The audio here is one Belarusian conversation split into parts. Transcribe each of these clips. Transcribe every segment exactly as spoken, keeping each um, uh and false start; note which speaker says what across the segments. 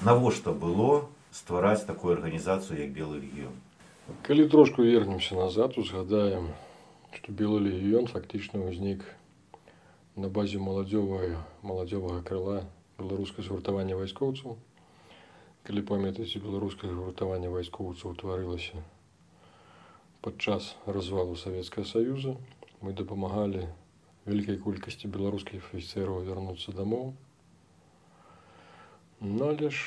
Speaker 1: Навошта было ствараць такую арганізацыю, як Белы легіён?
Speaker 2: Калі трошку вернемся назад, узгадаем, што Белы легіён фактычна ўзнік на базе маладзёвага маладзёвага крыла беларускае згуртавання вайскоўцаў. Калі памятаеце, беларускае згуртаванне вайскоўцаў утварылася падчас развалу Савецкага Саюза. Мы дапамагалі вялікай колькасці беларускіх афіцэраў вярнуцца дамоў. Ну, але ж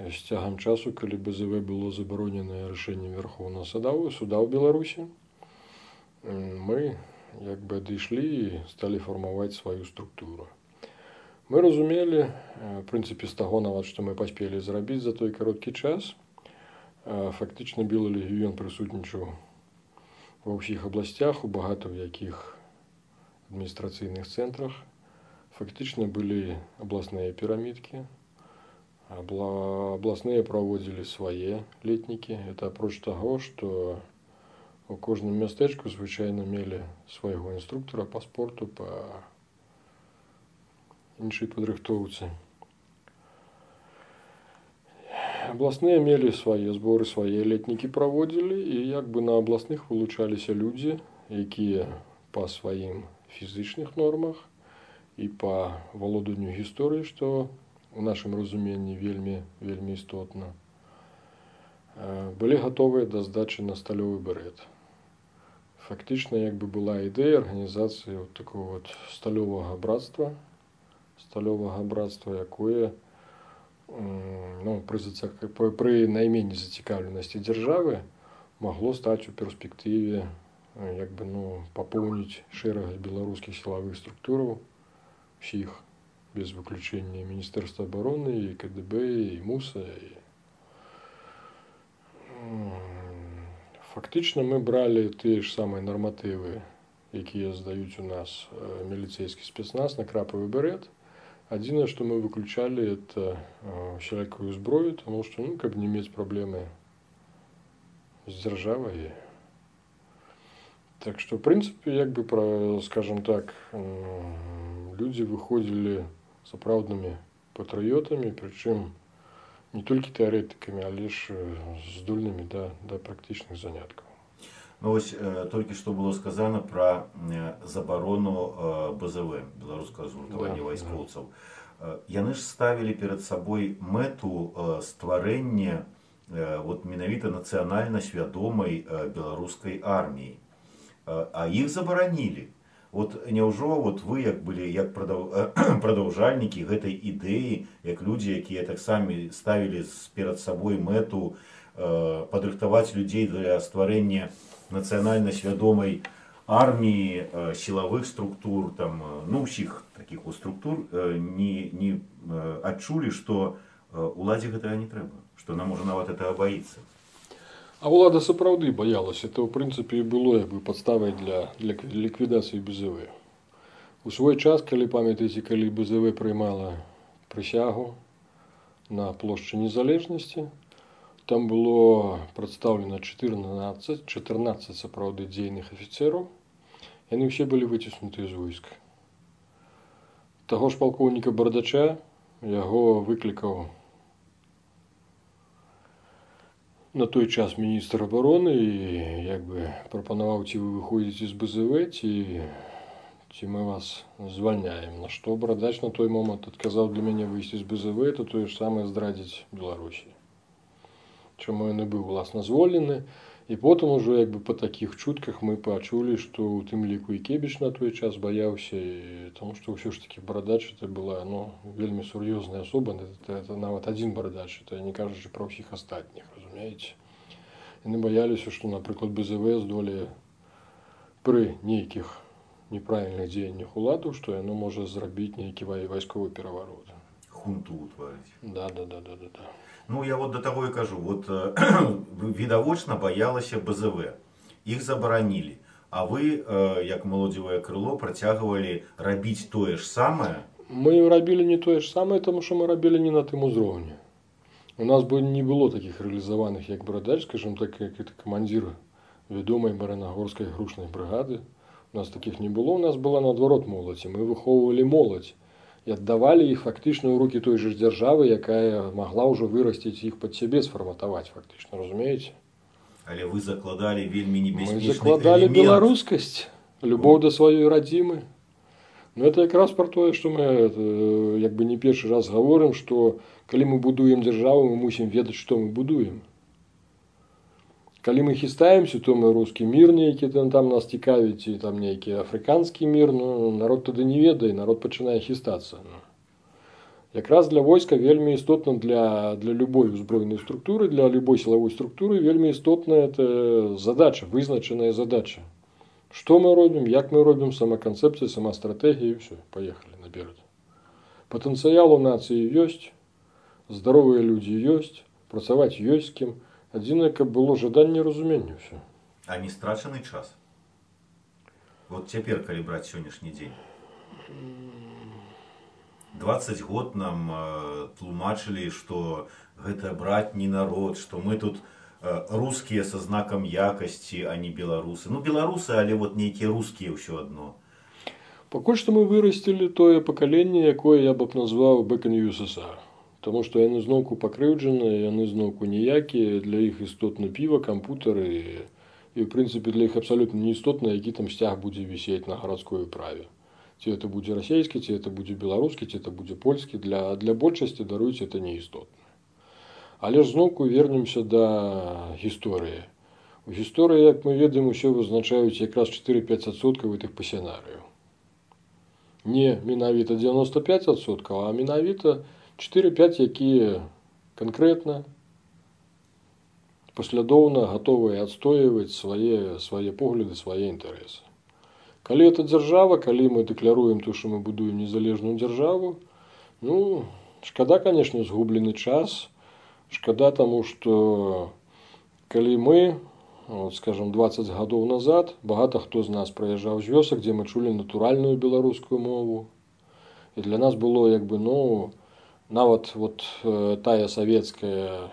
Speaker 2: з цягам часу, калі БЗВ было забаронена рашэннем Вярхоўнага суда суда ў Беларусі, мы як бы адышлі і сталі фармаваць сваю структуру. Мы разумелі, в прынцыпе, з таго нават, што мы паспелі зрабіць за той кароткі час, фактычна Белы легіён прысутнічаў ва ўсіх абласцях, у багата ў якіх адміністрацыйных цэнтрах. Фактычна былі абласныя пірамідкі, абласныя праводзілі свае летнікі. Это апроч таго, што у кожным мястэчку звычайна мелі свайго інструктара па спорту, па іншай падрыхтоўцы. Абласныя мелі свае зборы, свае летнікі праводзілі, і як бы на абласных вылучаліся людзі, якія па сваім фізычных нормах і па валоданню гісторыі, што у нашым разуменні вельмі, вельмі істотна, былі гатовыя да здачы на сталёвы берет. Фактычна як бы была ідэя арганізацыі вот такого вот сталёвага братства, сталёвага братства, якое ну, пры, пры найменней зацікаўленасці дзяржавы магло стаць у перспектыве як бы, ну, папоўніць шэраг беларускіх сілавых структураў, усіх, без выключення Міністэрства абароны, і КДБ, і МУСа. І... Фактычна мы бралі тыя ж самыя нарматывы, якія здаюць у нас міліцейскі спецназ на крапавы берет. Адзінае, што мы выключалі, это усялякую зброю, таму што, ну, каб не мець праблемы з дзяржавай. Так што, в прынцыпе, як бы, скажем так, людзі выходзілі сапраўднымі патрыётамі, прычым не толькі тэарэтыкамі, але ж здольнымі да, да практычных заняткаў.
Speaker 1: Ну, вось э, толькі што было сказана пра э, забарону э, БЗВ, беларускага згуртавання да, вайскоўцаў. Да. Э, яны ж ставілі перад сабой мэту э, стварэння э, вот менавіта нацыянальна свядомай э, беларускай арміі, э, а іх забаранілі. Вот няўжо вот вы як былі як прадаўжальнікі гэтай ідэі, як людзі, якія таксама ставілі перад сабой мэту э, падрыхтаваць людзей для стварэння нацыянальна свядомай арміі, э, сілавых структур, там, ну, ўсіх такіх структур, э, не, не э, адчулі, што э, уладзе гэтага не трэба, што нам можа нават гэтага баіцца.
Speaker 2: А ўлада сапраўды баялася. Это, ў прынцыпе, і было як бы падставай для, для ліквідацыі БЗВ. У свой час, калі памятаеце, калі БЗВ прыймала прысягу на плошчы Незалежнасці, там было прадстаўлена чатырнаццаць, чатырнаццаць сапраўды дзейных афіцэраў. Яны ўсе былі выціснуты з войска. Таго ж палкоўніка Бардача, яго выклікаў на той час міністр абароны і як бы прапанаваў, ці вы выходзіце з БЗВ, ці, ці мы вас звальняем. На што Бардач на той момант адказаў: для мяне выйсці з БЗВ, это тое ж самае здрадзіць Беларусі. Чаму ён і быў уласна звольнены. І потым ужо як бы па такіх чутках мы пачулі, што ў тым ліку і Кебіч на той час баяўся, і, таму што ўсё ж такі Бардач это была, ну, вельмі сур'ёзная асоба, это, это нават адзін Бардач, это не кажучы пра ўсіх астатніх, разумееце. Яны баяліся, што, напрыклад, БЗВ здолее пры нейкіх неправільных дзеяннях уладу, што яно можа зрабіць нейкі вайсковы пераварот.
Speaker 1: Хунту утварыць.
Speaker 2: Да, да, да, да, да, да.
Speaker 1: Ну, я вот до того и кажу, вот э, відавочна баялася БЗВ, іх забаранілі, а вы, э, як маладзевае крыло, працягвалі рабіць тое ж самае?
Speaker 2: Мы рабілі не тое ж самае, тому што мы рабілі не на тым узроўні. У нас бы не было такіх рэалізаваных, як Бардач, скажем так, як это камандзір вядомай баранагорскай грушнай брыгады. У нас такіх не было, у нас была наадварот моладзь, і мы выхоўвалі моладзь, і аддавалі іх фактычна ў рукі той жа дзяржавы, якая магла ўжо вырасціць іх пад сябе, сфарматаваць фактычна, разумееце?
Speaker 1: Але вы закладалі вельмі
Speaker 2: Мы
Speaker 1: небяспечны
Speaker 2: закладалі
Speaker 1: элемент.
Speaker 2: беларускасць, любоў да сваёй радзімы. Ну, это якраз про тое, што мы это, як бы не першы раз гаворым, што калі мы будуем дзяржаву, мы мусім ведаць, што мы будуем. Калі мы хістаемся, то мы рускі мір нейкі там, там нас цікавіць, і там нейкі афрыканскі мір, ну, народ тады не ведае, народ пачынае хістацца. Якраз для войска вельмі істотна для, для любой узброенай структуры, для любой сілавой структуры вельмі істотная это задача, вызначаная задача. Што мы робім, як мы робім, сама канцэпцыя, сама стратэгія, і ўсё, паехалі наперад. Патэнцыял у нацыі ёсць, здаровыя людзі ёсць, працаваць ёсць з кім. Адзінае, каб было жаданне разумення ўсё.
Speaker 1: А не страчаны час? Вот цяпер, калі браць сённяшні дзень. дваццаць год нам э, тлумачылі, што гэта братні народ, што мы тут э, рускія са знакам якасці, а не беларусы. Ну, беларусы, але вот нейкія рускія ўсё адно.
Speaker 2: Пакуль што мы вырасцілі тое пакаленне, якое я б назваў Back in ю эс эс ар. Таму што яны зноўку пакрыўджаныя, яны зноўку ніякія, для іх істотна піва, кампутары, і, і ў прынцыпе для іх абсалютна не істотна, які там сцяг будзе вісець на гарадской управе. Ці это будзе расійскі, ці это будзе беларускі, ці это будзе польскі, для, для большасці, даруйце, это не істотна. Але ж зноўку вернемся да гісторыі. У гісторыі, як мы ведаем, усё вызначаюць якраз чатыры-пяць адсоткаў гэтых пасянарыяў. Не менавіта дзевяноста пяць адсоткаў, а менавіта чатыры-пяць, якія канкрэтна, паслядоўна гатовыя адстойваць свае, свае погляды, свае інтарэсы. Калі это дзяржава, калі мы дэкляруем то, што мы будуем незалежную дзяржаву, ну, шкада, канешне, згублены час, шкада таму, што калі мы, вот, скажем, дваццаць гадоў назад, багата хто з нас прыязджаў з вёсак, дзе мы чулі натуральную беларускую мову, і для нас было, як бы, ну, нават вот э, тая савецкая,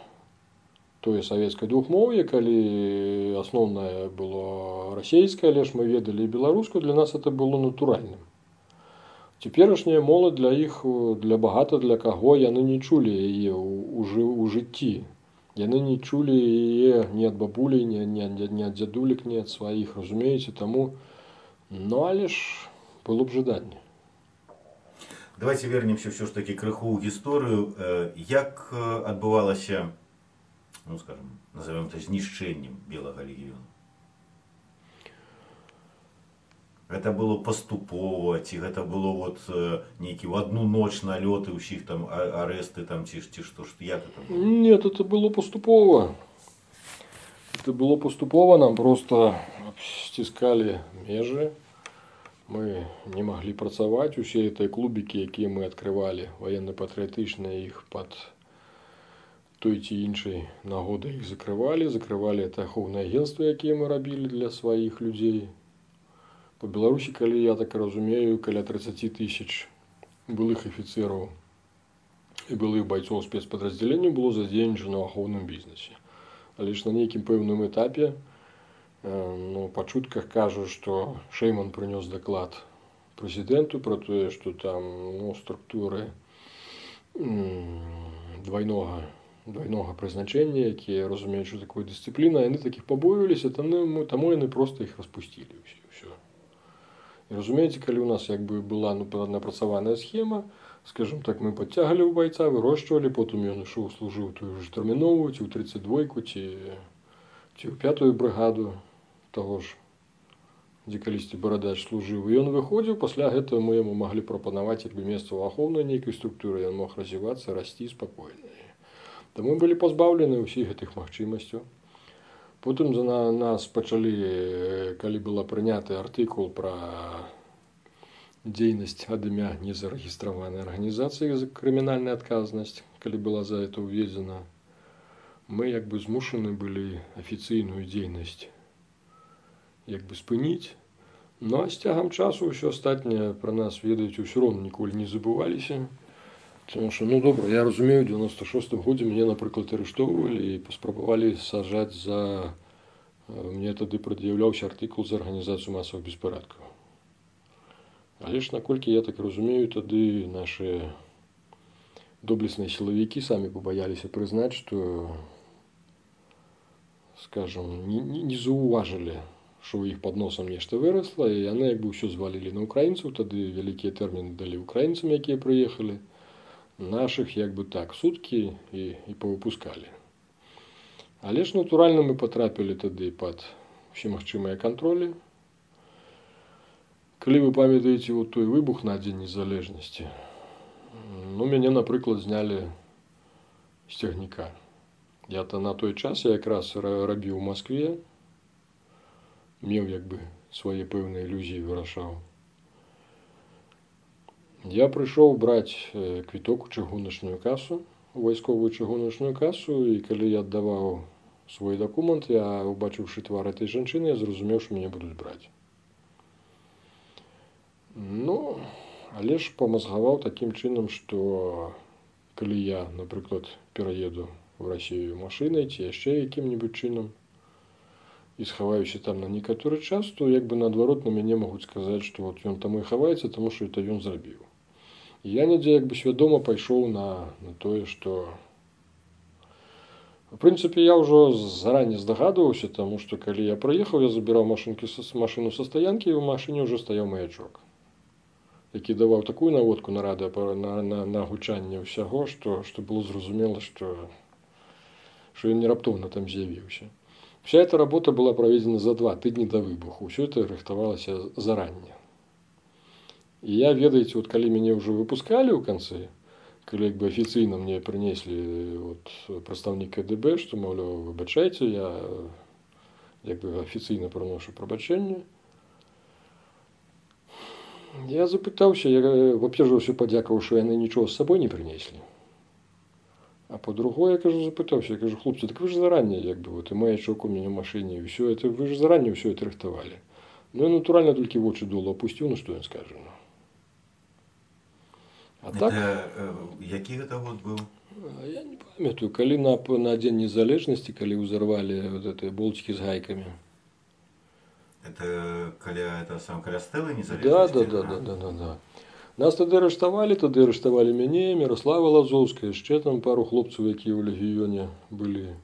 Speaker 2: тое савецкае двухмоўе, калі асноўнае было расійскае, але ж мы ведалі і беларускую, для нас это было натуральным. Цяперашняя моладзь для іх, для багата для каго яны не чулі яе ў, у, у жыцці. Яны не чулі яе ні ад бабулі, ні, ні, ні ад дзядулек, ні ад сваіх, разумееце, таму, ну, але ж было б жаданне.
Speaker 1: Давайте вернемся все ж таки крыху ў гісторыю. Як адбывалася, ну, скажем, назовем это знішчэннем белага легіёну? Гэта было паступова, ці гэта было вот нейкі ў адну ноч налёты, ўсіх там арэсты, там, ці, ці што, што, як это было?
Speaker 2: Нет, это было паступова. Это было паступова, нам просто сціскалі межы. Мы не маглі працаваць, усе гэтыя клубікі, якія мы адкрывалі, ваенна-патрыятычныя, іх пад той ці іншай нагодай іх закрывалі, закрывалі это ахоўныя агенцтвы, якія мы рабілі для сваіх людзей. Па Беларусі, калі я так разумею, каля тридцать тысяч былых афіцэраў і былых байцоў спецпадраздзялення было задзейнічана ў ахоўным бізнесе. Але ж на нейкім пэўным этапе, ну, па чутках кажу, што Шэйман прынёс даклад прэзідэнту пра тое, што там, ну, структуры двайнога, двайнога прызначэння, якія разумеюць, што такое дысцыпліна, яны такіх пабоюваліся, таму, таму яны проста іх распусцілі ўсё. І разумееце, калі ў нас як бы была, ну, напрацаваная схема, скажем так, мы падцягалі ў байца, вырошчвалі, потым ён ішоў, служыў тую ж тэрміновую, ці ў тридцать двойку, ці, ці ў пятую брыгаду таго ж, дзе калісьці барадач служыў. І ён выходзіў, пасля гэтага мы яму маглі прапанаваць як бы месца ў ахоўнай нейкай структуры, ён мог развівацца, расці спакойна. Таму былі пазбаўлены ўсіх гэтых магчымасцяў. Потым за нас пачалі, калі была прыняты артыкул пра дзейнасць ад імя незарэгістраванай арганізацыі за крымінальная адказнасць, калі была за это ўведзена, мы як бы змушаны былі афіцыйную дзейнасць як бы спыніць. Ну, а з цягам часу ўсё астатняе пра нас ведаюць, ўсё роўна ніколі не забываліся. Тому що, ну добре, я розумію, в дев'яносто шостому году мене, наприклад, арештовували і поспробували сажати за, мені тоді пред'являвся артикул за організацію масових безпорядків. Але ж, наколькі я так разумею, тады наши доблестные силовики сами побоялись признать, что, скажем, не, не, не заўважылі, что у іх под носом нешта выросла, і яны як бы ўсё звалілі на украінцаў, тады вялікія тэрміны далі украінцам, якія прыехалі, наших як бы так суткі і, і павыпускалі. Але ж натуральна мы потрапілі тады пад усе магчымыя кантролі. Калі вы памятаеце вот той выбух на Дзень незалежнасці, ну, мяне, напрыклад, знялі з цягніка. Я-то на той час я якраз рабіў у Москве, меў як бы свае пэўныя ілюзіі вырашаў. Я прыйшоў браць квіток у чыгуначную касу, у вайсковую чыгуначную касу, і калі я аддаваў свой дакумент, я, убачыўшы твар этой жанчыны, я зразумеў, што мяне будуць браць. Ну, але ж памазгаваў такім чынам, што калі я, напрыклад, пераеду в Россию машинай ці яшчэ якім-небудзь чынам і схаваюся там на некаторы час, то як бы наадварот на мяне могуць сказаць, што вот ён там і хаваецца, таму што это ён зрабіў. І я недзе як бы свядома пайшоў на, на тое, што в прынцыпе я ўжо зараней здагадваўся, таму што калі я прыехаў, я забіраў машынкі, машыну са стаянкі, і ў машыне ўжо стаяў маячок, які даваў такую наводку на радыё, на, на, на гучанне ўсяго, што, што было зразумела, што, што ён не раптоўна там з'явіўся. Вся эта работа была праведзена за два тыдні да выбуху. Ўсё это рыхтавалася заранне. І я, ведаеце, вот калі мяне ўжо выпускалі ў канцы, калі як бы афіцыйна мне прынеслі вот, прадстаўнік КДБ, што, маўляў, выбачайце, я як бы афіцыйна прыношу прабачэнне, я запытаўся, я, во-первых, ўсё падзякаваў, што яны нічого з сабой не прынеслі. А по-другое, я кажу, запытаўся, я кажу, хлопцы, так вы ж заранее, як бы, вот, і маячок у мяне ў машыне, і ўсё это, вы ж заранее ўсё это рыхтавалі. Ну, я натуральна толькі вочы долу апусціў, ну, што ён скажа, ну.
Speaker 1: А так, это, э, які гэта год быў?
Speaker 2: Я не памятаю, калі на, на Дзень незалежнасці, калі ўзарвалі вот гэтыя болцікі з гайкамі.
Speaker 1: Это каля, это сам каля стэлы незалежнасці?
Speaker 2: Да, да, да, да, да, да, да. Нас тады арыштавалі, тады арыштавалі мяне, Мірослава Лазоўская, яшчэ там пару хлопцаў, якія ў легіёне былі.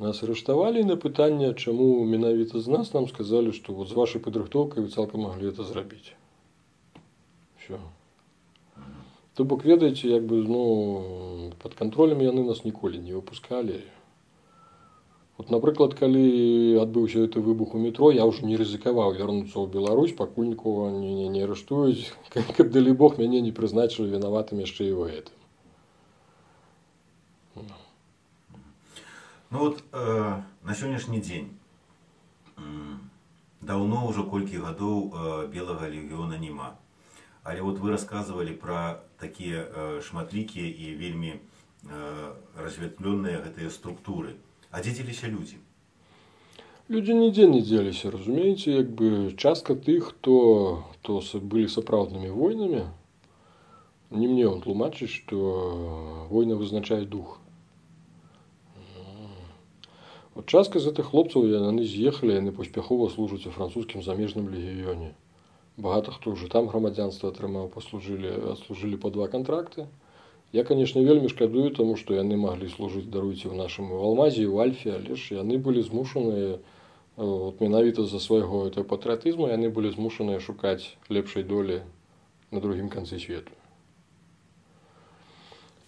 Speaker 2: Нас арыштавалі, на пытанне, чаму менавіта з нас, нам сказалі, што вот з вашай падрыхтоўкай вы цалкам маглі это зрабіць. Всё. То бок, ведаеце, як бы, ну, пад кантролем яны нас ніколі не выпускалі. Вот, напрыклад, калі адбыўся гэты выбух у метро, я ўжо не рызыкаваў вярнуцца ў Беларусь, пакуль нікога не, не, не арыштуюць, каб, далі Бог, мяне не прызначылі вінаватым яшчэ і ў гэтым.
Speaker 1: Ну вот, э, на сённяшні дзень э, даўно ўжо колькі гадоў э, белага легіёна няма. Але вот вы рассказывали про такія э, шматлікія і вельмі э, разветвленыя гэтыя структуры. А дзе дзеліся людзі?
Speaker 2: Людзі нідзе не дзеліся, разумееце, як бы частка тых, хто, хто былі сапраўднымі войнамі, не мне он тлумачыць, што война вызначае дух. Вот частка з гэтых хлопцаў, яны з'ехалі, яны паспяхова служаць у французскім замежным легіёне. Багата хто ўжо там грамадзянства атрымаў, паслужылі, адслужылі па два кантракты. Я, конечно, вельмі шкадую, тому што яны маглі служыць, даруйце, ў нашым у Алмазе, у Альфе, але ж яны былі змушаныя, вот, менавіта за свайго этого патрыятызму, яны былі змушаныя шукаць лепшай долі на другім канцы свету.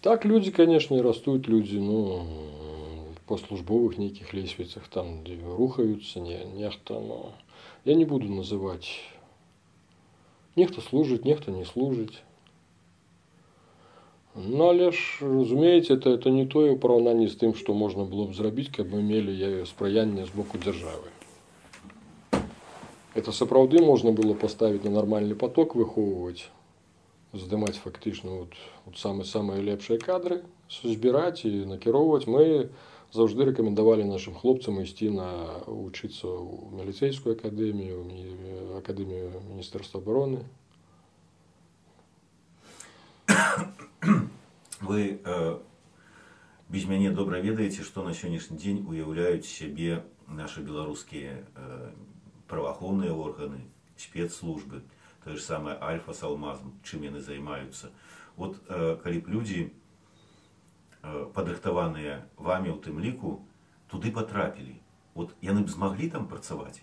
Speaker 2: Так людзі, конечно, растуць, людзі, ну, па службовых нейкіх лесвіцах, там, дзе рухаюцца, не, нехта, но я не буду называць. Нехта служыць, нехта не служыць. Ну, але ж, разумееце, это, это не тое ў параўнанні з тым, што можна было б зрабіць, каб мы мелі спрыянне з боку дзяржавы. Это сапраўды можна было паставіць на нармальны поток, выхоўваць, здымаць фактычна вот, вот самыя-самыя лепшыя кадры, збіраць і накіроўваць. Мы заўжды рэкамендавалі нашым хлопцам ісці на вучыцца ў міліцэйскую акадэмію, акадэмію Міністэрства абароны.
Speaker 1: Вы э, без мяне добра ведаеце, што на сённяшні дзень уяўляюць сябе нашы беларускія э, праваахоўныя органы, спецслужбы. то же самое Альфа с Алмазом, чым яны займаюцца. Вот калі б людзі, падрыхтаваныя вами ў тым ліку, туды потрапілі, вот яны б змаглі там працаваць?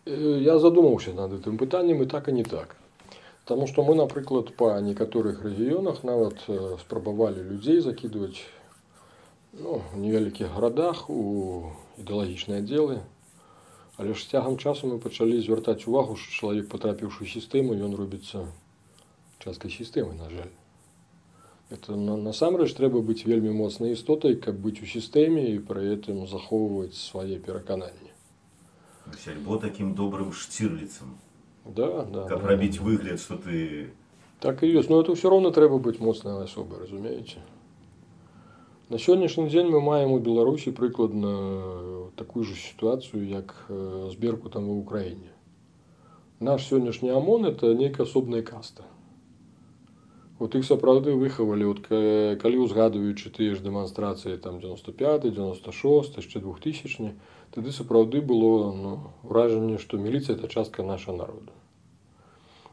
Speaker 2: Я задумаўся над гэтым пытаннем, і так і не так. Таму што мы, напрыклад, па некаторых рэгіёнах нават спрабавалі людзей закідваць, ну, у невялікіх гарадах у ідэалагічныя аддзелы. Але ж з цягам часу мы пачалі звяртаць увагу, што чалавек, патрапіўшы ў сістэму, ён робіцца часткай сістэмы, на жаль. Это насамрэч трэба быць вельмі моцнай істотай, каб быць у сістэме і пры гэтым захоўваць свае перакананні.
Speaker 1: Альбо такім добрым Штирліцам.
Speaker 2: Да, да.
Speaker 1: Каб
Speaker 2: да,
Speaker 1: рабіць
Speaker 2: да.
Speaker 1: выгляд, што ты...
Speaker 2: Так і ёсць. Но это ўсё роўна трэба быць моцнай асобай, разумееце? На сённяшні дзень мы маем у Беларусі прыкладна такую ж сітуацыю, як з Беркутам у Украіне. Наш сённяшні ОМОН – это нейкая асобная каста. Вот іх сапраўды выхавалі, от, калі узгадваючы тыя ж дэманстрацыі там дзевяносто пяты, дзевяносто шосты, яшчэ двухтысячны, тады сапраўды было, ну, ўражанне, што міліцыя – это частка нашага народа.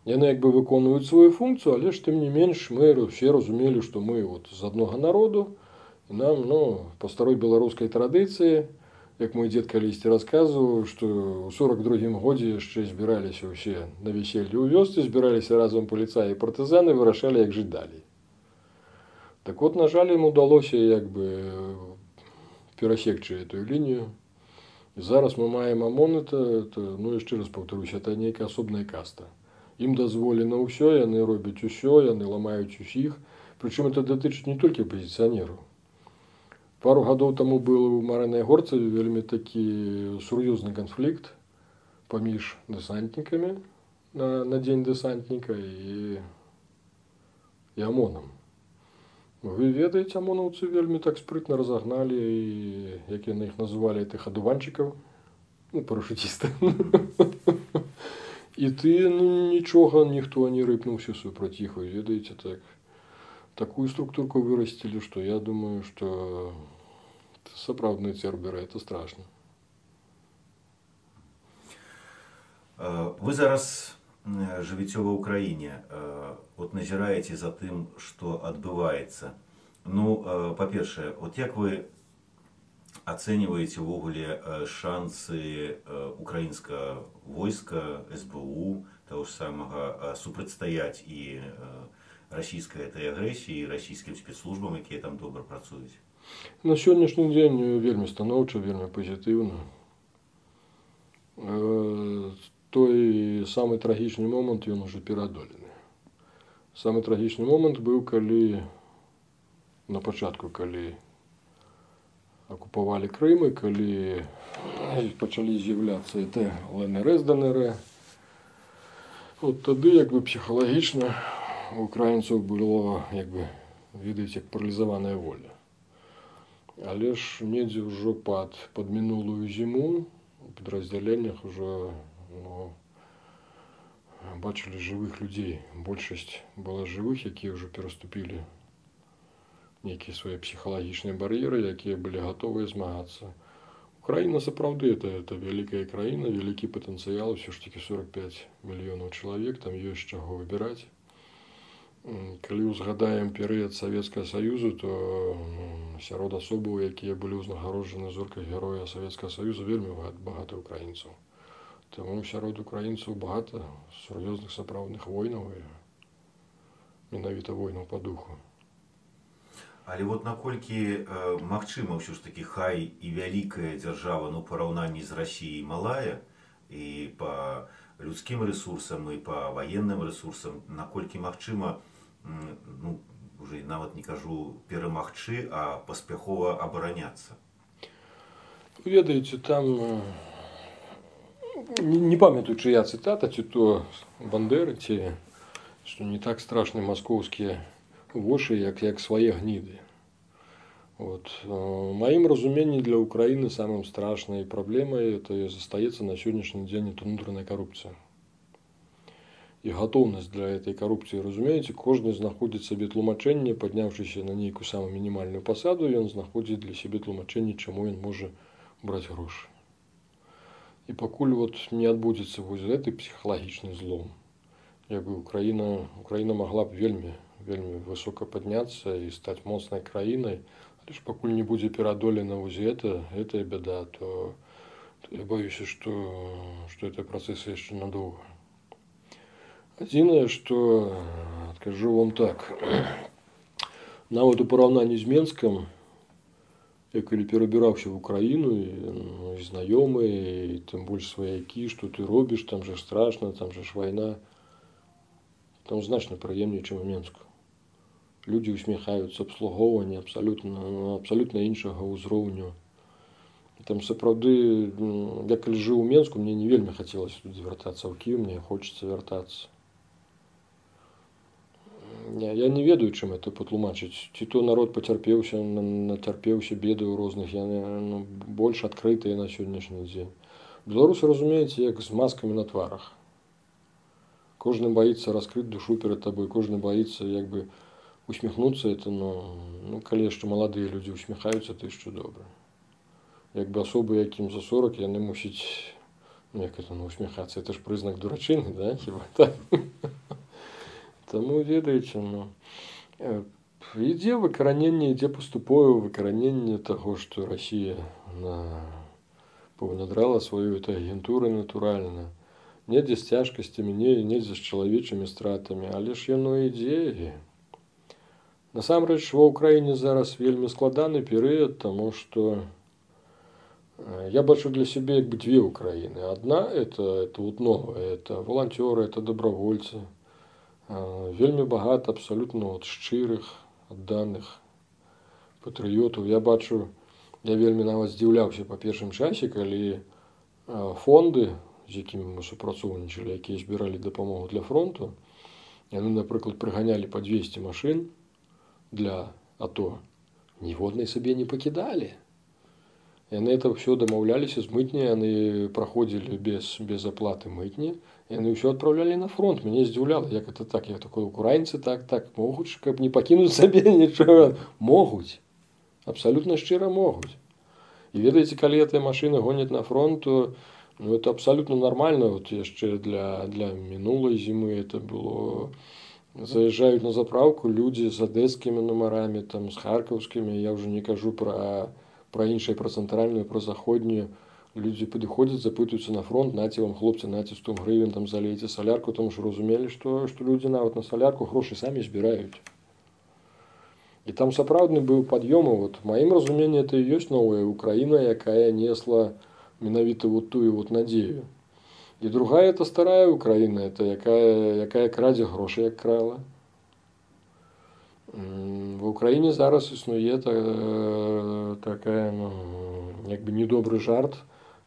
Speaker 2: Яны як бы выконваюць сваю функцію, але ж тым не менш мы все разумелі, што мы от з аднога народу, і нам, ну, па старой беларускай традыцыі, як мой дзед калісьці расказваў, што ў сорак другім годзе яшчэ збіраліся ўсе на веселье ў вёсцы, збіраліся разам паліцаі і партызаны, вырашалі, як жыць далей. Так от, на жаль, ім удалося як бы перасекчы эту лінію. І зараз мы маем ОМОН, это, это, ну, яшчэ раз паўтаруся, это нейкая асобная каста. Ім дазволена ўсё, яны робяць усё, яны ламаюць усіх. Прычым это датычыць не толькі апазіцыянераў. Пару гадоў таму быў у Марынай Горцы вельмі такі сур'ёзны канфлікт паміж дэсантнікамі на, на дзень дэсантніка і, і ОМОНам. Вы ведаеце, ОМОНаўцы вельмі так спрытна разагналі, і, як яны іх называлі, тых адуванчыкаў, ну, парашутістаў. І ты, ну, нічога, ніхто не рыпнуўся супраць іх, вы ведаеце, так. Такую структурку вырастили, что я думаю, что сапраўдныя церберы, это страшно.
Speaker 1: Вы зараз жывіце ва ўкраіне, вот назіраеце за тым, што адбываецца. Ну, па-першае, вот як вы ацэньваеце ўвогуле шансы украінскага войска, СБУ, таго ж самага, супрацьстаяць і расійскай этой агрэсіі, і расійскім спецслужбам, якія там добра працуюць?
Speaker 2: На сённяшні дзень вельмі станоўча, вельмі пазітыўна. Той самы трагічны момант, ён ужо пераадолены. Самы трагічны момант быў, калі на пачатку, калі акупавалі Крым, і калі пачалі з'яўляцца это ЛНР з ДНР. От тады як бы псіхалагічна у украінцаў было, як бы, ведаеце, як паралізаваная воля. Але ж недзе ўжо пад, пад мінулую зіму у падраздзяленнях ўжо, ну, бачылі жывых людзей. Большасць была жывых, якія ўжо пераступілі нейкія свае псіхалагічныя бар'еры, якія былі гатовыя змагацца. Украіна сапраўды это, это вялікая краіна, вялікі патэнцыял, усё ж такі сорок пяць мільёнаў чалавек, там ёсць чаго выбіраць. Калі ўзгадаем перыяд Савецкага Саюзу, то, ну, сярод асобаў, якія былі ўзнагароджаны зоркай героя Савецкага Саюза, вельмі багата украінцаў. Таму сярод украінцаў багата сур'ёзных сапраўдных войнаў, і менавіта войнаў па духу.
Speaker 1: Але вот наколькі э, магчыма ўсё ж такі хай і вялікая дзяржава, ну, параўнанні з Расіяй малая, і па людскім рэсурсам, і па ваенным рэсурсам, наколькі магчыма, ну, уже нават не кажу перамагчы, а паспяхова абараняцца?
Speaker 2: Ведаеце, там, не, не памятаю, чыя цытата, ці то Бандеры, ці што не так страшны маскоўскія вочы, як, як свае гніды. Вот. В маім разуменні для Украіны самым страшнай праблемай это застаецца на сённяшні дзень это унутраная карупцыя. І гатоўнасць для этой карупцыі, разумееце, кожны знаходзіць сабе тлумачэнне, падняўшыся на нейкую самую мінімальную пасаду, ён знаходзіць для сябе тлумачэнне, чаму ён можа браць грошы. І пакуль вот не адбудзецца вось гэты псіхалагічны злом, як бы Украіна, Украіна магла б вельмі, вельмі высока падняцца і стаць моцнай краінай, але ж пакуль не будзе пераадолена вось гэта, гэтая бяда, то, то я боюся, што, што это працэсы яшчэ надоўга. Адзінае, што скажу вам так, нават у параўнанні з Менскам, я калі перабіраўся в Украіну, і, ну, і знаёмыя, і тым больш сваякі, што ты робіш, там же страшна, там же ж вайна, там значна прыемней, чым у Менску. Людзі усміхаюцца, абслугоўванне абсалютна, абсалютна іншага ўзроўню. Там сапраўды, я калі жыў у Менску, мне не вельмі хацелася туды вяртацца, ў Кіеў мне хочацца вяртацца. Я, я не ведаю, чым это патлумачыць. Ці то народ пацярпеўся, нацярпеўся бедаў розных, я, ну, больш адкрытыя на сённяшні дзень. Беларусы, разумееце, як з маскамі на тварах. Кожны баіцца раскрыць душу перад табой, кожны баіцца як бы усміхнуцца, это, ну, ну калі яшчэ маладыя людзі усміхаюцца, то яшчэ добра. Як бы асобы, якім за сорок, яны мусіць, ну як это, ну, усміхацца, это ж прызнак дурачыны, да, хіба так? Таму, ведаеце, ну, ідзе выкараненне, ідзе паступовае выкараненне таго, што Расія на... паўнадрала сваю эту агентуру натуральна. Недзе з цяжкасцямі, недзе з чалавечымі стратамі, але ж яно ідзе. Насамрэч, ва ўкраіне зараз вельмі складаны перыяд, таму што я бачу для сябе як бы две ўкраіны. Адна – это, это вот новая, это волонтёры, это добровольцы. Вельмі багата абсалютна от шчырых, адданых патрыётаў. Я бачу, я вельмі нават здзіўляўся па першым часе, калі фонды, з якімі мы супрацоўнічалі, якія збіралі дапамогу для фронту, яны, напрыклад, прыганялі па дзвесце машын для АТО, ніводнай сабе не пакідалі. Яны это ўсё дамаўляліся з мытняй, яны праходзілі без, без аплаты мытні, яны ўсё адпраўлялі на фронт. Мяне здзіўляла, як это так, я такой, украінцы так, так могуць, каб не пакінуць сабе нічога. Могуць, абсалютна шчыра могуць. І ведаеце, калі гэтыя машыны гоняць на фронт, то, ну, это абсалютна нармальна. Вот яшчэ для, для мінулай зімы это было... Заязджаюць на заправку людзі з адэскімі нумарамі, там, з харкаўскімі, я ўжо не кажу пра... про іншыя, про цэнтральную, про заходнюю. Людзі падыходзяць, запытаюцца на фронт, наце вам, хлопцы, наце сто гривен, там, залейце салярку, тому што разумелі, што, што людзі нават на салярку грошы самі збіраюць. І там сапраўдны быў пад'ём, вот, в маім разуменні, это і ёсць новая Украіна, якая несла менавіта вот тую вот надзею. І другая, это старая Украіна, это якая, якая крадзе грошы, як крала. В Украіне зараз існуе такая, ну, як бы недобры жарт,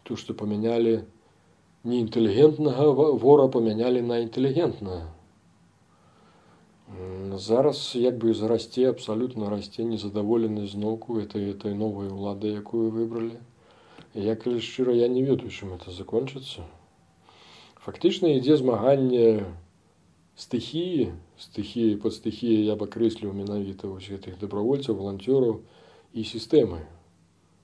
Speaker 2: то, што памянялі неінтэлігентнага вора, памянялі на інтэлігентнага. Зараз як бы зарасце, абсалютна расце незадаволенасць зноўку этой, этой новай улады, якую выбралі. І я, калі шчыра, я не ведаю, чым это закончыцца. Фактычна ідзе змаганне стыхіі, стыхіі, пад стыхіяй я б акрэсліў менавіта вось гэтых добравольцаў, волонтёраў і сістэмы.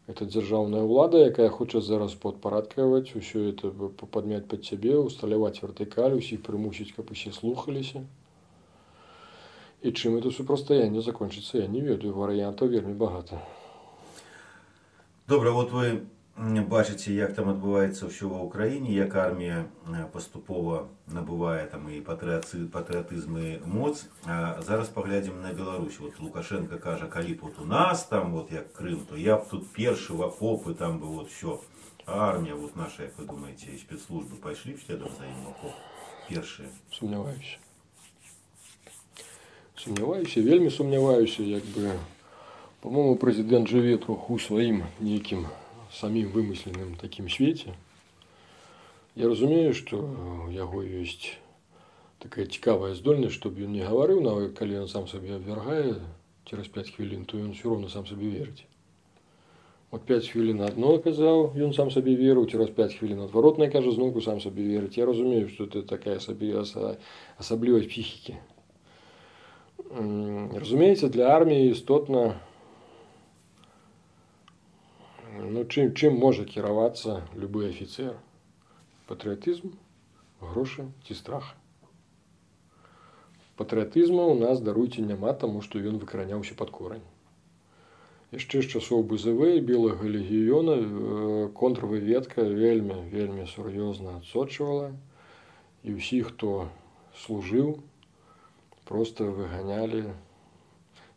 Speaker 2: Это дзяржаўная ўлада, якая хоча зараз падпарадкаваць, усё это падмяць пад сябе, усталяваць вертыкаль, усіх прымусіць, каб усе слухаліся. І чым это супрацьстаянне закончыцца, я не ведаю, варыянтаў вельмі багата.
Speaker 1: Добра, вот вы бачыце, як там адбываецца ўсё ва ўкраіне, як армія паступова набывае там і патрыятызм і моц. А зараз паглядзім на Беларусь. Вот Лукашенко кажа, калі б вот у нас там вот як Крым, то я б тут першы в окопы, там бы вот все. А армія вот наша, як вы думаеце, і спецслужбы пайшлі б следам за ім в окоп? Першыя.
Speaker 2: Сумняваюся. Сумняваюся, вельмі сумняваюся, як бы, по-моему, прэзідэнт жыве троху ў сваім нейкім самім вымысленым такім свеце. Я разумею, што у яго ёсць такая цікавая здольнасць, чтобы ён не гаварыў, нават калі ён сам сабе абвяргае цераз пяць хвілін, то ён все роўна сам сабе верыць. Вот пяць хвілін адно казаў, ён сам сабе верыў, цераз пяць хвілін адваротнае кажа, зноўку сам сабе верыць. Я разумею, што это такая асаблівасць псіхікі. Разумеется, для армии істотна, ну, чым, чым можа кіравацца любы афіцер? Патрыятызм, грошы ці страх. Патрыятызму ў нас, даруйце, няма, таму што ён выкараняўся пад корань. Яшчэ з часоў БЗВ і белага легіёна контрвыведка вельмі, вельмі сур'ёзна адсочвала, і ўсіх, хто служыў, проста выганялі,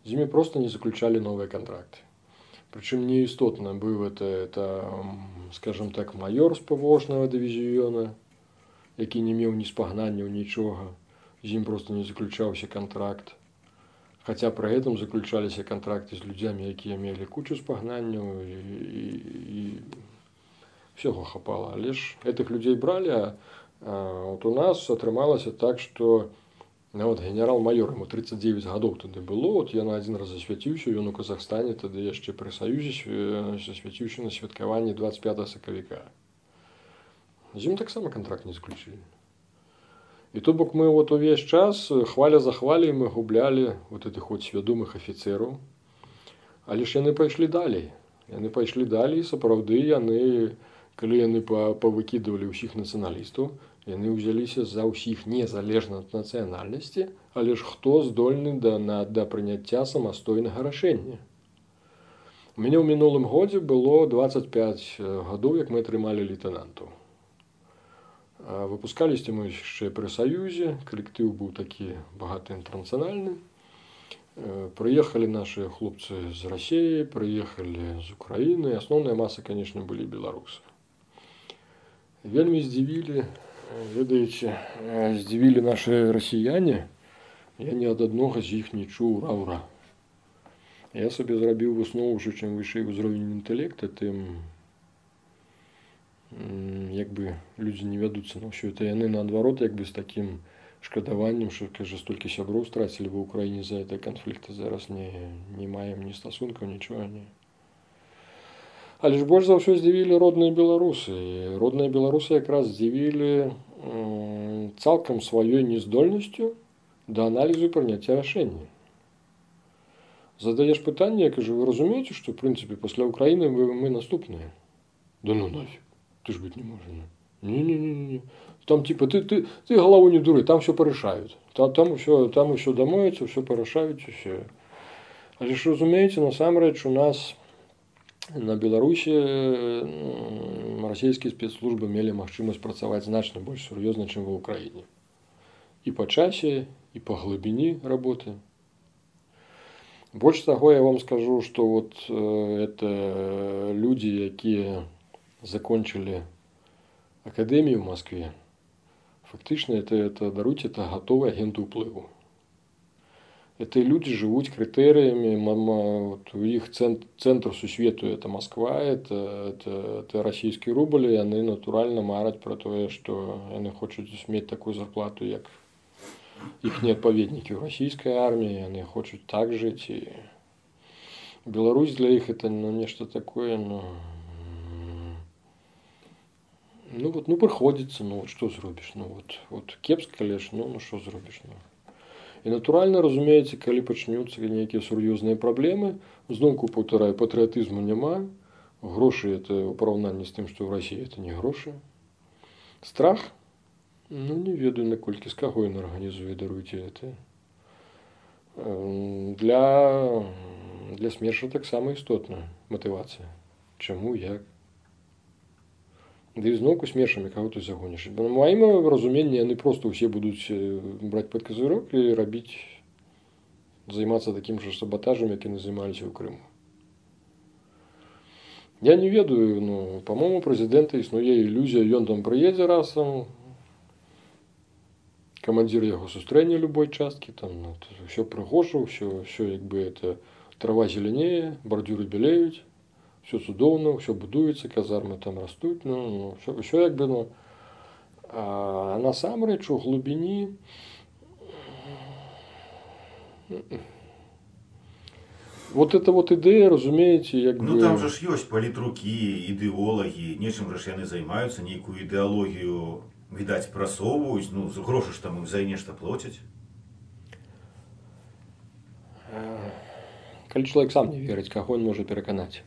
Speaker 2: з імі проста не заключалі новыя кантракты. Прычым неістотна быў это, это, скажем так, маёр з павошнага дывізіёна, які не меў ні спагнанняў, нічога, з ім проста не заключаўся кантракт. Хаця пры гэтым заключаліся кантракты з людзямі, якія мелі кучу спагнанняў, і, і, і всього хапала. Але ж гэтых людзей бралі, а, а от у нас атрымалася так, што нават генерал-майор, яму тридцать девять гадоў тады было, от я на адзін раз засвяціўся, ён у Казахстане тады яшчэ пры Саюзе засвяціўся на святкаванні двадцать пятага сакавіка. З ім таксама кантракт не заключылі. І то бок мы вот увесь час, хваля за хваляй, мы гублялі вот этих вот свядомых афіцераў. Але ж яны пайшлі далей. Яны пайшлі далей, сапраўды яны, калі яны павыкідывалі ўсіх нацыяналістаў, яны ўзяліся за ўсіх незалежна ад нацыянальнасці, але ж хто здольны да, на, да прыняцця самастойнага рашэння. У мяне ў мінулым годзе было двадцать пять гадоў, як мы атрымалі лейтэнантаў. Выпускаліся мы яшчэ пры Саюзе, калектыў быў такі багаты інтэрнацыянальны. Прыехалі нашы хлопцы з Расіі, прыехалі з Украіны, асноўная маса, конечно, былі беларусы. Вельмі здзівілі, ведаеце, здзівілі нашы расіяне, я ні ад аднога з іх не чуў ура-ура. Я сабе зрабіў выснову, што чым вышэй узровень інтэлекта, тым як бы людзі не вядуцца на ўсё это. Яны наадварот як бы з такім шкадаваннем, што, кажа, столькі сяброў страцілі ва ўкраіне за гэты канфлікт, зараз не, не маем ні стасункаў, нічога не. Але ж больш за ўсё здзівілі родныя беларусы. І родныя беларусы якраз здзівілі цалкам сваёй нездольнасцю да аналізу і прыняцця рашэння. Задаеш пытанне, я кажу, вы разумееце, што, в прынцыпе, пасля Украіны мы, мы наступныя? Да ну нафиг. Ты ж быть не можешь. Не-не-не. Там типа ты, ты, ты голову не дури, там все порешают. Там, там все, там все домоються, все порешают, все. Але ж разумееце, насамрэч у нас на Беларусі расійскія спецслужбы мелі магчымасць працаваць значна больш сур'ёзна, чым ва Ўкраіне. І па часе, і па глыбіні работы. Больш таго, я вам скажу, што вот это люди, якія закончили академию в Москве, фактично это, это даруйте, это готовые агенты уплыву. Это люди живут критериями, вот у них центр, центр сусвету это Москва, это, это, это российский рубль, и они натурально марать про то, что они хотят иметь такую зарплату, как их неотповедники в российской армии, они хотят так жить. И Беларусь для них это ну, нечто такое, ну, ну вот, ну приходится, ну вот что зробишь, ну вот, вот кепска лишь, ну, ну что зробишь, ну. І натуральна, разумееце, калі пачнуцца нейкія сур'ёзныя праблемы, зноўку паўтараю, патрыятызму няма, грошы это ў параўнанні з тым, што ў Расіі это не грошы. Страх, ну не ведаю, наколькі, з каго ён арганізуе, даруйце это. Для, для смерша таксама істотна матывацыя. Чаму, як? Да і зноўку смершамі каго ты загоніш. На маім разуменні яны проста ўсе будуць браць пад казырок і рабіць, займацца такім жа саботажам, як яны займаліся ў Крыму. Я не ведаю, ну, па-моему, прэзідэнта існуе ілюзія, ён там прыедзе раз, камандзір яго сустрэне любой часткі, там ну, ўсё прыгожа, ўсё, ўсё як бы это трава зеленее, бардюры белеюць. Все цудоўна, все будуецца, казармы там растуць, ну, ну все, все як бы, ну, а насамрэч у глыбіні вот эта вот ідэя, разумееце, як
Speaker 1: ну,
Speaker 2: бы...
Speaker 1: Ну там же ж ёсць палітрукі, ідэолагі, нечым ж яны займаюцца, нейкую ідэалогію, відаць, прасоўваюць, ну, грошы ж там ім за нешта плоцяць.
Speaker 2: Калі чалавек сам не верыць, каго ён можа пераканаць?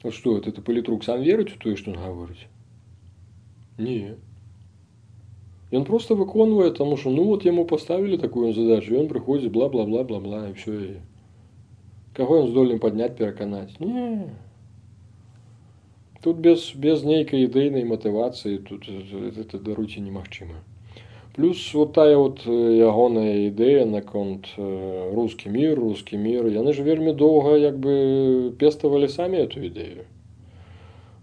Speaker 2: Вот что, это палітрук сам верыць у тое, што ён гаворыць? Не. Ён проста выконвае, таму што ну вот яму паставілі такую задачу, ён прыходзіць бла-бла-бла-бла-бла і ўсё. І каго ён здольны падняць, пераканаць? Не. Тут без, без нейкай ідэйнай матывацыі тут это даруйце немагчыма. Плюс вот тая вот ягоная ідэя наконт рускі мір, рускі мір, яны ж вельмі доўга як бы пеставалі самі эту ідэю.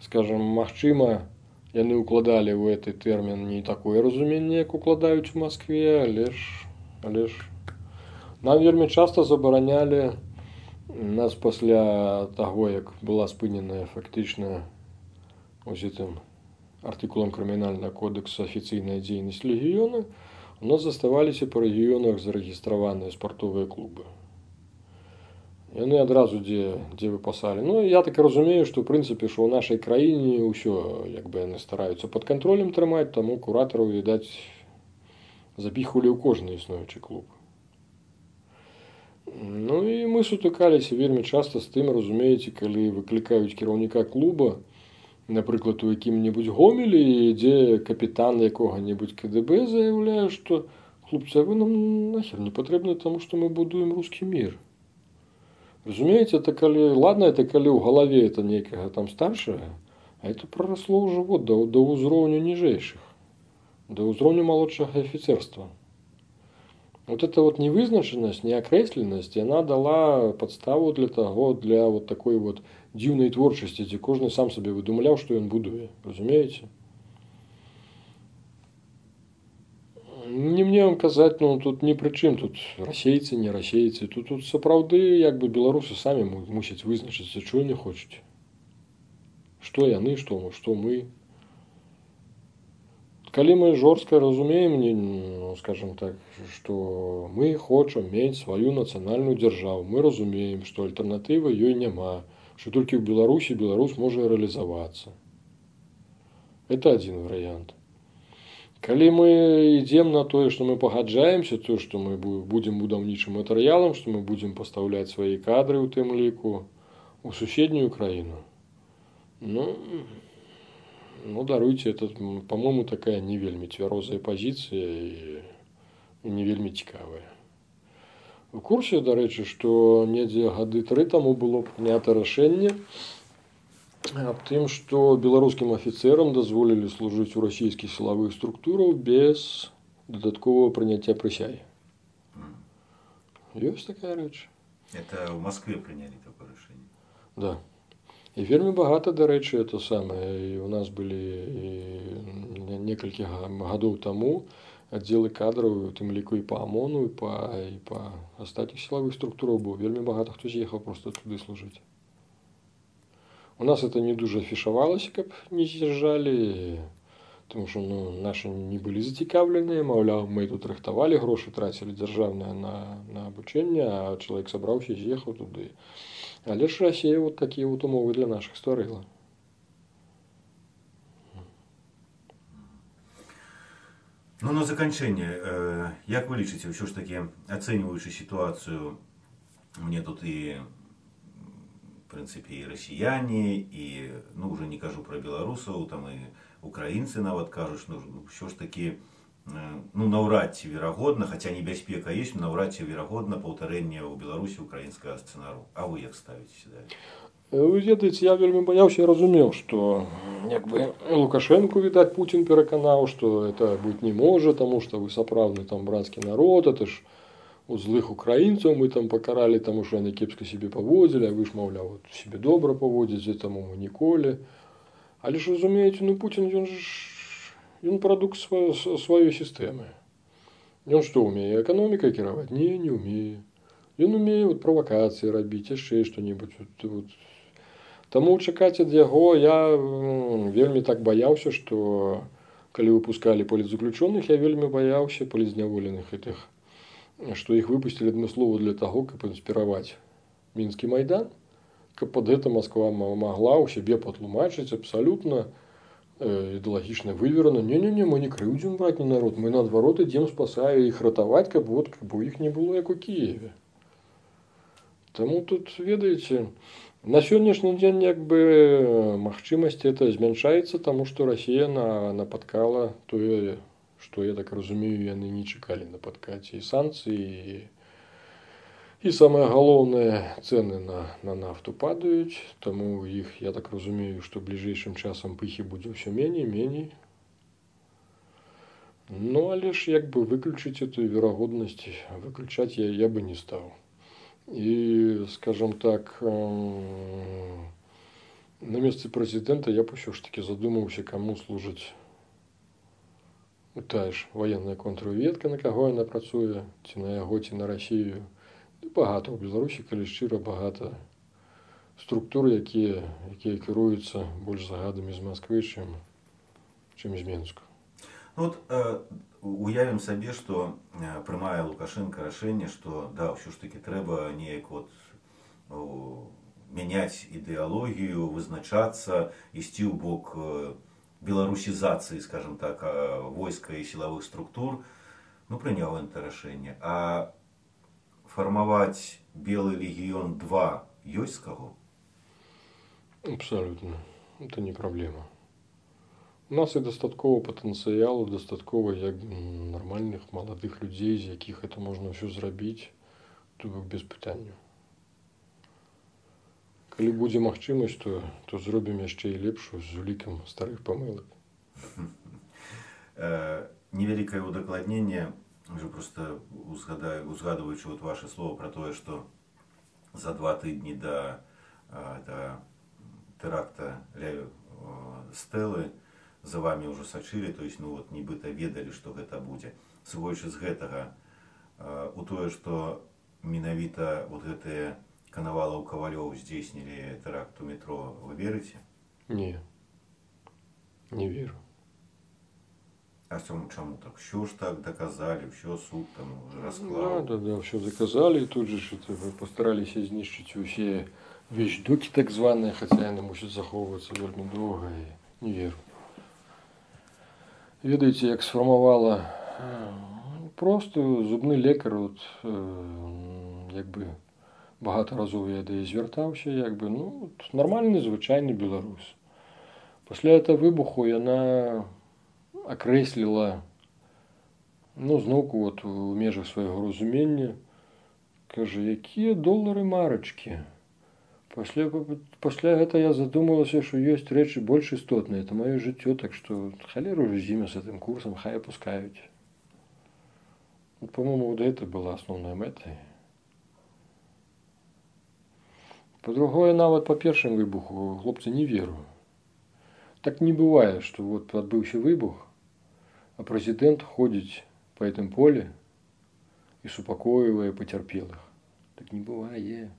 Speaker 2: Скажем, магчыма, яны укладалі ў гэты тэрмін не такое разуменне, як укладаюць у Маскве, але ж, але ж нам вельмі часта забаранялі, нас пасля таго, як была спыненая фактычна ось гэтым артыкулам крымінальнага кодекса афіцыйная дзейнасць легіёна, у нас заставаліся па рэгіёнах зарэгістраваныя спартовыя клубы. Яны адразу дзе, дзе выпасалі. Ну, я так разумею, што ў прынцыпе, што ў нашай краіне ўсё, як бы яны стараюцца пад кантролем трымаць, таму куратараў, відаць, запіхвалі ў кожны існуючы клуб. Ну і мы сутыкаліся вельмі часта з тым, разумееце, калі выклікаюць кіраўніка клуба, напрыклад, у якім-небудзь Гомелі, дзе капітан якога-небудзь ка дэ бэ заяўляе, што хлопцы, а вы нам нахер не патрэбны, таму што мы будуем рускі мір. Разумееце, это калі, ладно, это калі ў галаве это нейкага там старшага, а это прарасло ўжо вот да, да ўзроўню ніжэйшых, да ўзроўню малодшага афіцерства. Вот эта вот невызначенность, неокресленность, она дала подставу для того, для вот такой вот дзіўнай творчасці, дзе кожны сам сабе выдумляў, што ён будуе. Разумееце? Не мне вам казаць, ну тут ні пры чым, тут расейцы, не расейцы, тут, тут сапраўды як бы беларусы самі мусяць вызначыцца, чого не хочуць. Што яны, што мы, што мы. Калі мы жорстка разумеем, ну, скажем так, што мы хочам мець сваю нацыянальную дзяржаву, мы разумеем, што альтэрнатывы ёй няма, што толькі ў Беларусі беларус можа рэалізавацца. Это адзін варыянт. Калі мы ідзем на тое, што мы пагаджаемся, то, што мы будзем будаўнічым матэрыялам, што мы будзем пастаўляць свае кадры ў тым ліку у суседнюю краіну, ну, ну даруйце, это, по-моему, такая не вельмі цвярозая пазіцыя і не вельмі цікавая. У курсе, дарэчы, што недзе гады тры таму было прынята рашэнне аб тым, што беларускім афіцэрам дазволілі служыць у расійскіх сілавых структурах без дадатковага прыняцця прысягі. Ёсць такая рэч.
Speaker 1: Это в Москве приняли такое решение?
Speaker 2: Да. І вельмі багата, дарэчы, это самае. І у нас былі некалькі гадоў таму аддзелы кадраў, у тым ліку і па ОМОНу, і па, і па астатніх сілавых структурах, бо вельмі багата хто з'ехаў проста туды служыць. У нас это не дуже афішавалася, каб не з'язджалі, тому што ну, нашы не былі зацікаўленыя, маўляў, мы тут рыхтавалі, грошы трацілі дзяржаўныя на, на абучэнне, а чалавек сабраўся, з'ехаў туды. Але ж Расія вот такія вот умовы для нашых стварыла.
Speaker 1: Ну, на заканчэнне, як вы лічыце, ўсё ж такі, ацэньваючы сітуацыю, мне тут і, в прынцыпе, і расіяне, і, ну, уже не кажу пра беларусаў, там і украінцы нават кажуць, ну, ўсё ж такі, ну, наўрад ці верагодна, хаця небяспека ёсць, наўрад ці верагодна паўтарэнне ў Беларусі украінскага сцэнару. А вы як ставіцеся да?
Speaker 2: Вы ведаеце, я вельмі баяўся і разумеў, што як бы Лукашенку, відаць, Путін пераканаў, што это быць не можа, таму што вы сапраўдны там брацкі народ, это ж у злых украінцаў мы там пакаралі, таму што яны кепска сябе паводзілі, а вы ж, маўляў, вот, сябе добра паводзіце, таму мы ніколі. Але ж разумееце, ну Путін, ён ж ён прадукт сваёй, сваёй сістэмы. Ён што умее? Эканомікай кіраваць? Не, не умее. Ён умее вот, правакацыі рабіць, яшчэ што-небудзь. Вот, вот. Таму чакаць ад яго я вельмі так баяўся, што калі выпускалі палітзаключоных, я вельмі баяўся палітзняволеных гэтых, што іх выпусцілі адмыслова для таго, каб інспіраваць мінскі майдан, каб пад гэта Масква магла ў сябе патлумачыць абсалютна ідэалагічна выверана. Не-не-не, мы не крыўдзім братні народ, мы наадварот ідзем спасаю іх ратаваць, каб вот, каб у іх не было як у Кіеве. Таму тут, ведаеце, на сённяшні дзень як бы магчымасць это змяншаецца, таму што Расія на, напаткала тое, што, я так разумею, яны не чакалі на падкаце і санкцыі, і самае галоўнае, цэны на, на нафту падаюць, таму іх, я так разумею, што бліжэйшым часам пыхі будзе ўсё меней, меней. Ну, але ж як бы выключыць эту верагоднасць, выключаць я, я бы не стаў. І, скажем так, на месцы прэзідэнта я б усё ж такі задумаўся, каму служыць тая ж ваенная контрразведка, на каго яна працуе, ці на яго, ці на Расію. Багата ў Беларусі, калі шчыра, багата структур, якія, якія кіруюцца больш загадамі з Масквы, чым, чым з Менску.
Speaker 1: Ну, вот, э, уявім сабе, што э, прымае Лукашенко рашэнне, што да, ўсё ж такі трэба неяк вот о, мяняць ідэалогію, вызначацца, ісці ў бок э, беларусізацыі, скажем так, э, войска і сілавых структур. Ну, прыняў ён это рашэнне. А фармаваць Белы легіён два ёсць з каго?
Speaker 2: Абсолютно. Это не проблема. У нас і дастаткова патэнцыялу, дастаткова як нармальных маладых людзей, з якіх это можна ўсё зрабіць, то без пытання. Калі будзе магчымасць, то, то зробім яшчэ і лепшую з улікам старых памылак.
Speaker 1: Невялікае удакладненне, уже просто узгадываючи вот ваши слова про то, что за два тыдні до, до теракта Стелы за вами уже сачылі, то есть, ну вот, нібыта ведалі, што гэта будзе. Сыходзячы з гэтага, у тое, што менавіта вот гэтыя Канавалаў, Кавалёў здзейснілі тэракт у метро, вы верыце?
Speaker 2: Не, не веру.
Speaker 1: А чому, чому так? Що ж так доказали, що суд там розклав?
Speaker 2: Да, да, да, все доказали, і тут же что-то постаралися знищити усі вещдоки так звані, хоча вони мусять заховуватися вельми довго, і не вірю. Ведаєте, як сформувала просто зубний лікар, от, якби багато разів я до її звертався, якби, ну, нормальний, звичайний білорус. Після цього вибуху вона окреслила, ну, знову от, у межах свого розуміння, каже, які долари марочки. Пасля, пасля этого я задумалася, что есть речи больше істотные. Это мое житье, так что холеру уже зимя с этим курсом, хай опускают. Вот, по-моему, вот это была основная мета. По-другое, нават по першому вибуху, хлопцы, не веру. Так не бывает, что вот отбывший выбух, а президент ходит по этому поле и супакоивая потерпелых. Так не бывает.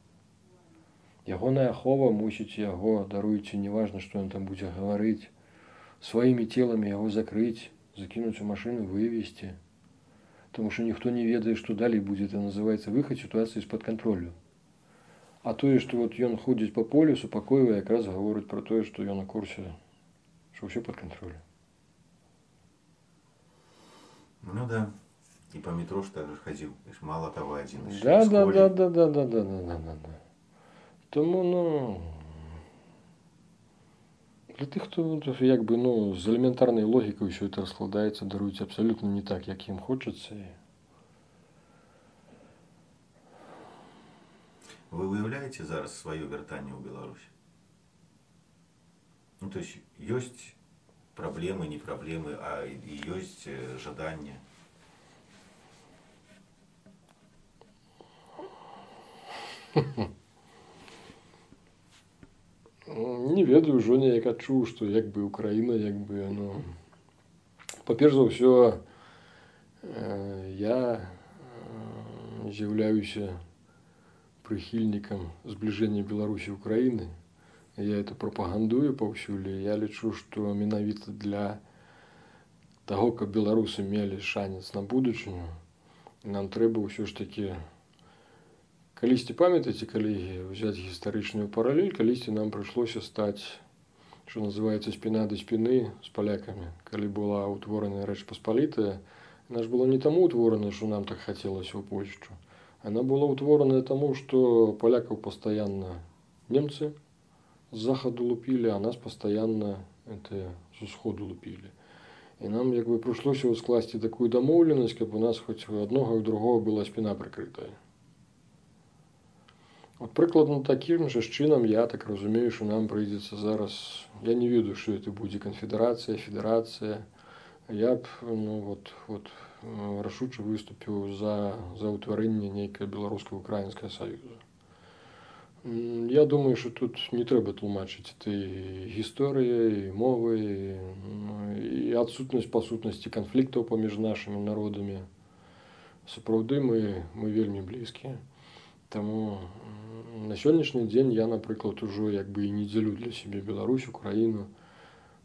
Speaker 2: Ягоная ахова мусіць яго, даруйце, неважна, што ён там будзе гаварыць, сваімі теламі яго закрыць, закінуць у машыну, вывезці. Таму што ніхто не ведае, што далей будзе, это называецца выхад сітуацыі з-пад кантролю. А тое, што вот ён ходзіць па полю, супакойвае, якраз гаворыць пра тое, што ён на курсе, што ўсё пад кантролем.
Speaker 1: Ну да. И по метро ж так же ходил. Мало того, один.
Speaker 2: Да, да, да, да, да, да, да, да, да, да. Тому, ну, для тих, хто якби, ну, з елементарною логікою все це розкладається, дарують абсолютно не так, як їм хочеться.
Speaker 1: Ви уявляєте зараз своє вертання у Білорусі? Ну, то есть, есть проблемы, не проблемы, а и есть жадание.
Speaker 2: Не ведаю, ўжо неяк адчуў, што як бы Украіна, як бы, ну, па-перш за ўсё, я з'яўляюся прыхільнікам збліжэння Беларусі і Украіны. Я это прапагандую паўсюль. Я лічу, што менавіта для таго, каб беларусы мелі шанец на будучыню, нам трэба ўсё ж такі, калісьці, памятаеце, калі взяць гістарычную паралель, калісьці нам прыйшлося стаць, што называецца, спіна да спіны з палякамі. Калі была ўтвораная Рэч Паспалітая, яна ж была не таму ўтворана, што нам так хацелася ў Польшчу. Она была ўтвораная таму, што палякаў пастаянна немцы з захаду лупілі, а нас пастаянна это, з усходу лупілі. І нам як бы прыйшлося скласці такую дамоўленасць, каб у нас хоць у аднога і ў другога была спіна прыкрытая. От прыкладна такім жа чынам я так разумею, што нам прыйдзецца зараз, я не ведаю, што это будзе канфедэрацыя, федэрацыя. Я б ну, вот, вот, рашуча выступіў за, за ўтварэнне нейкае беларуска-украінскае саюза. Я думаю, што тут не трэба тлумачыць ты гісторыяй, і мовай, і адсутнасць па сутнасці канфліктаў паміж нашымі народамі. Сапраўды мы, мы вельмі блізкія. Таму на сённяшні дзень я, напрыклад, ужо як бы і не дзелю для сябе Беларусь, Украіну.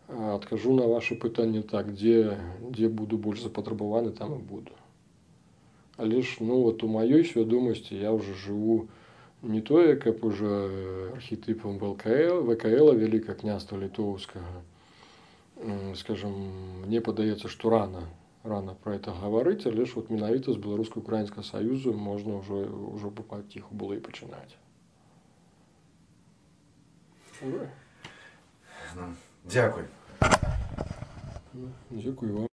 Speaker 2: Адкажу на ваше пытанне так, дзе, дзе буду больш запатрабаваны, там і буду. Але ж ну, вот у маёй свядомасці я ўжо жыву не тое, каб уже архетипам ВКЛ, Великое княства Литовского. Скажем, мне падаецца, што рано, рано про это говорить, але ж вот менавіта з Беларуска-Украінскага саюзу можна ўжо, ўжо паціху было і пачынаць.
Speaker 1: Дякую.
Speaker 2: Дякую вам.